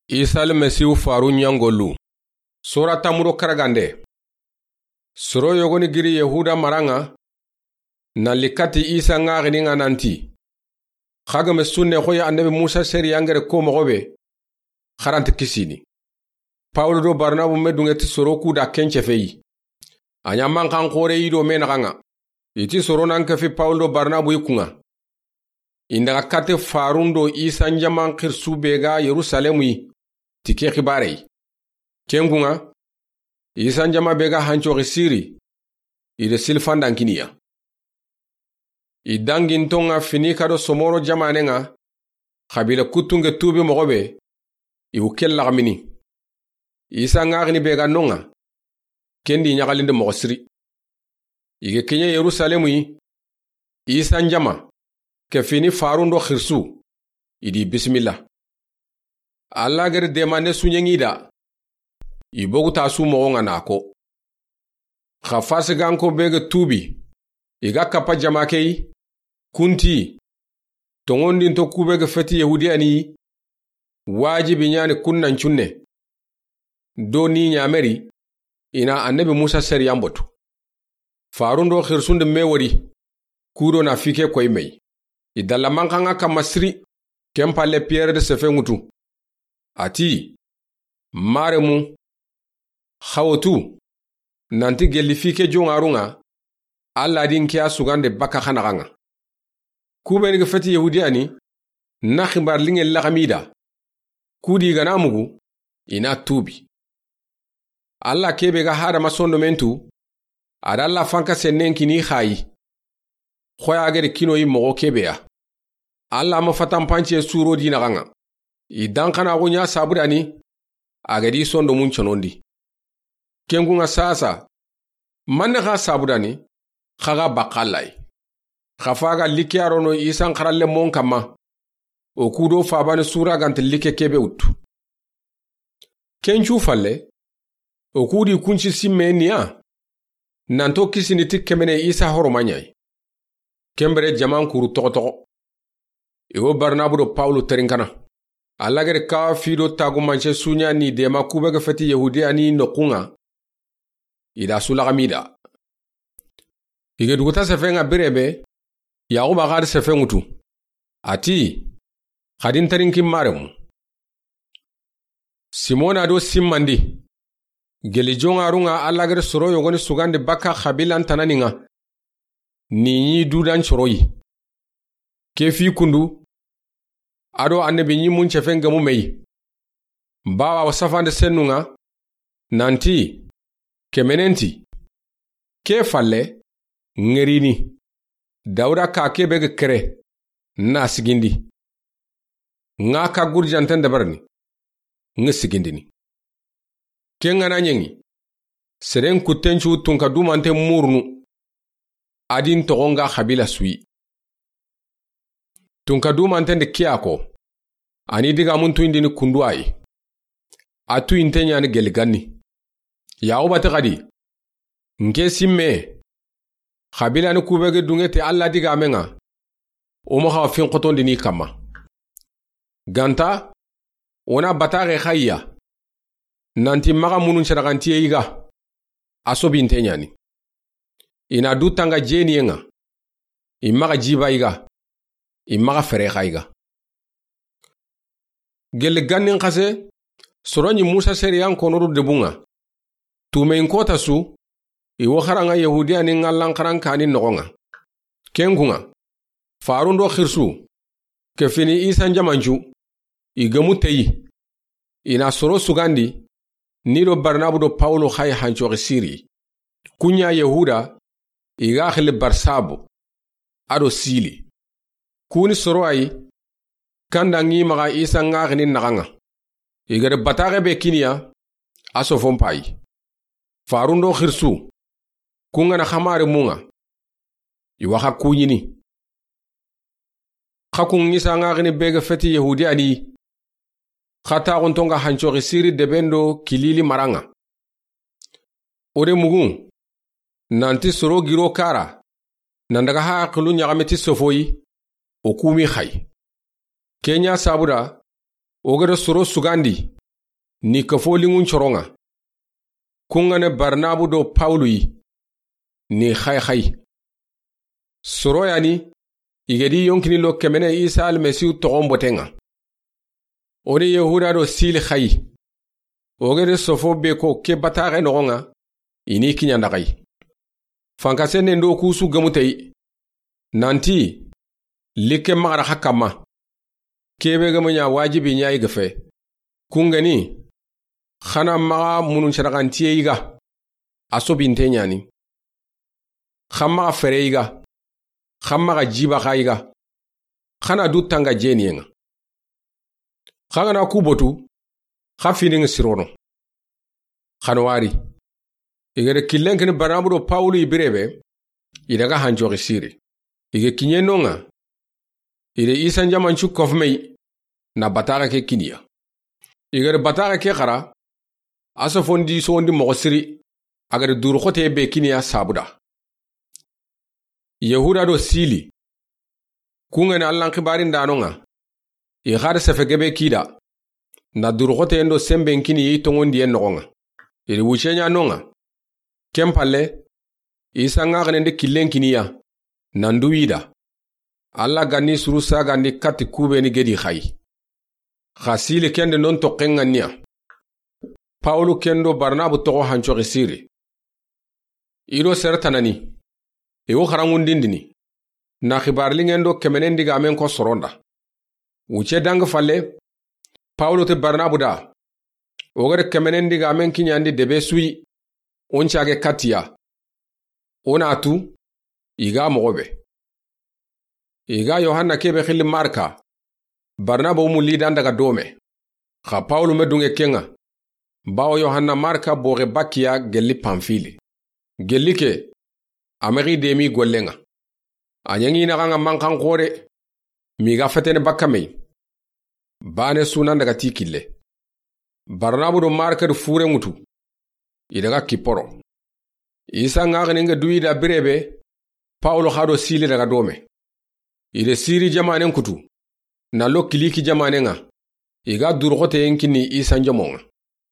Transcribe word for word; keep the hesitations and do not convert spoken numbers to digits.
Isa Almasihu faarun ɲa gollu. Sora tanmu do karagande. Soro yogoni giri Yahuda mara ŋa, na li kati Isa ŋaxini ŋa nanti, xa ga me sunne xoyi Annabi Musa sariyan gere ko moxo be, xa ra nta kisini. Pawulu do Barnabu me dunŋe ti soro ku da ken cefe yi. A ɲa manxan xoore yi do me naxa ŋa. I ti soro nan kefi Pawulu do Barnabu yi ku ŋa. I nda ga kate faarun do Isa n jaman xirisu be ga Yerusalemu yi, ti ke xibaare yi. Ken ku ŋa, Isa n jama be ga hancoxi siri, i do silfandan kini ya. I danginto ŋa Finika do Somoro jamaane ŋa, xabila kuttunŋe tuubi moxo be, i wu ke laxamini. Isa ŋaxini be ga no ŋa, ken di ɲaxalinde moxo siri. I ga ke ɲa Yerusalemu yi, Isa n jama, kefini faarun do xirisu, i di bisimilla. Alla gere demande suɲeŋi da, i bogu ta su moxo ŋa na ko. Xa fasiganko be ga tuubi, i ga kappa jama ke yi, ku nti, toŋondinto ku be ga feti Yahudiyani yi, wajibi ɲa ni kun nan cunne. Do ni ɲameri, i na Annabi Musa sariyan botu. Faarun do xirisun di me wori, ku do na fike koyi me yi. I dalla manxan ŋa kamma siri, ken palle Piyere de sefe ŋutu. A ti, Maremu, xa wo tu, nanti gelli fike joŋarun ŋa, Alla di n ke ya sugande baka xa naxa ŋa. Ku be ni ga feti Yahudiyani, na xibaar liŋe laxami da. Ku di ga na mugu, i na tuubi. Alla ke be ga hadama sondomen tu, a da Alla fanka sennen kini xa yi. Xoya geri kinoyi moxo ke be ya. Alla ma fatanpance suro di naxa ŋa. I danxanaxu ɲa sabudani, a ga di sondomun conondi. Ken ku ŋa sasa, manne xa sabudani, xa ga bakka Alla yi. Xa fa ga like a rono Isa n xaralle mon kamma, o ku do fabani sura ga nta like ke be wuttu. Ken cu falle, o ku di kunci simme ni ya, nanto kisini ti kemene Isa horomaɲa yi. Ken bere jaman kuru toxo toxo. I wo Barnabu do Pawulu terinkana. Alla gere ka fi do tagumance suɲa ni dema ku be ga feti Yahudiyani noxu ŋa. I da su laxami da. I ga duguta sefe ŋa bire be, Yaxuba xa di sefe ŋutu. A ti, xa di n terinki Maremu. Simona do simmandi. Gelli joŋarun ŋa Alla gere soro yogoni sugandi baka xabilan tanani ŋa. Ni ɲi dudan coro yi. Ke fi kundu, a do Annabi ɲi mun cefen gemu me yi. Bawa wa safande sennu ŋa, nanti, kemenen ti, ke falle, ŋerini, Dawuda ka ke be ga kere, na sigindi. Ŋa ka gurjanten dabarini, ŋa sigindini. Ken ŋa na ɲeŋi, seren kutten cu tunka dumante murunu, a di n toxo ŋa xabila su yi. Tunka dumanten di kiya ko, a ni digamun tuyindini kundu a yi. A tuyinte ɲa ni gelli ganni. Yaxuba ti xa di, n ke simme, xabilani ku be ga dunŋe ti Alla digamen ŋa, o ma xa finxotondini kamma. Ganta, o na bataxe xa yi ya, nanti maxa munun caraxantiye yi ga, a sobinte ɲa ni. I na du tanga jeniye ŋa, i maxa jiba yi ga, i maxa fere xa yi ga. Gelli gannin xase, soro ɲi Musa sariyan kono do debun ŋa. Tumeyin kota su, i wo xara ŋa Yahudiyani ŋallan xaran kani noxo ŋa. Ken ku ŋa, faarun do xirisu, kefini Isa n jamancu, i gemu teyi. I na soro sugandi, ni do Barnabu do Pawulu xa yi hancoxi siri. Ku ɲa Yahuda, i ga xili Barsabu, a do Sili. Ku ni soro a yi, kanda ŋi maxa Isa ŋaxini naxa ŋa. I gada bataxe be kini ya, a sofon payi. Faarun do xirisu, ku ŋa na xamari mu ŋa. I wa xa ku ɲini. Xa kun Isa ŋaxini be ga feti Yahudiyani. Xa taxunto ŋa hancoxi siri deben do Kilili mara ŋa. O de mugun, nanti soro giro kara, nan daga haqilu ɲaxame ti sofoyi, o kumi xa yi. Ken ɲa sabuda, o gada soro sugandi, ni kafo liŋun coroŋa. Kuŋa ne Barnabu do Pawulu yi, ni xay xay. Soro ya ni, i ga di yonkini lo kemene Isa Almasihu toxon boteŋa. O ni Yahuda do Sili xay. O ga di sofo be ko ke bataxe noxoŋa, i ni kiɲanda xay. Fankasennen do kusu gemutey. Nanti, like maxara xa kamma. Kebe gemu ɲa wajibi ɲa i ga fe. Kuŋa ni, xana maxa munun saraxantiye i ga. A sobinte ɲa ni. Xa maxa fere i ga. Xa maxa jiba xa i ga. Xana du tanga jeniyeŋa. Xa gana ku botu, xa finiŋa sirono. Xana wari. I ga da killen kini Barnabu do Pawulu i bire be, i daga hancoxi siri. I ga kiɲe noŋa, i da Isa njamancu kofumey na bataxe ke kiniya. I ga da bataxe ke xara, a sofondi sondi moxo siri, a ga da duru xote be kiniya sabuda. Yahuda do Sili. Kuŋa ni Allan xibarin da noŋa. I xari sefe gebe kida. Na duru xoteyen do semben kini yi toŋondiyen noxoŋa. I da wuce ɲa noŋa. Ken palle, Isa ŋaxenen di killen kiniya. Nan du wida. Alla gani suru sagandi kati kube ni gedi xay. Xa Sili kende non toxen ŋanniya. Pawulu kendo Barnabu toxo hancoxi siri. I do sere tanani. I wo xaraŋundindini. Na xibarliŋen do kemenen digamen ko soronda. Wuce dangi falle, Pawulu ti Barnabu da. O ga da kemenen digamen kiɲandi debe suyi. O n cage katiya. O na tu, i ga moxo be. I ga Yohanna kebe xilli Marka. Barnaba wo mulli dan daga dome. Xa Pawulu me dunge keŋa. Bawo Yohanna Marka boxe bakkiya gelli Panfili. Gelli ke, a mexi demi golleŋa. A ɲaŋi naxaŋa manxan xore. Mi ga fetene bakka mey. Bane sunan daga ti kille. Barnabu do Marka do fure ŋutu. I daga Kiporo. Isa ŋaxini ŋa duyi da birebe, Pawulu xa do Sili daga dome. I da Siri jamanen kutu, na lo Kiliki jamanen ŋa, i ga duru xoteyen kini Isa njomoŋa.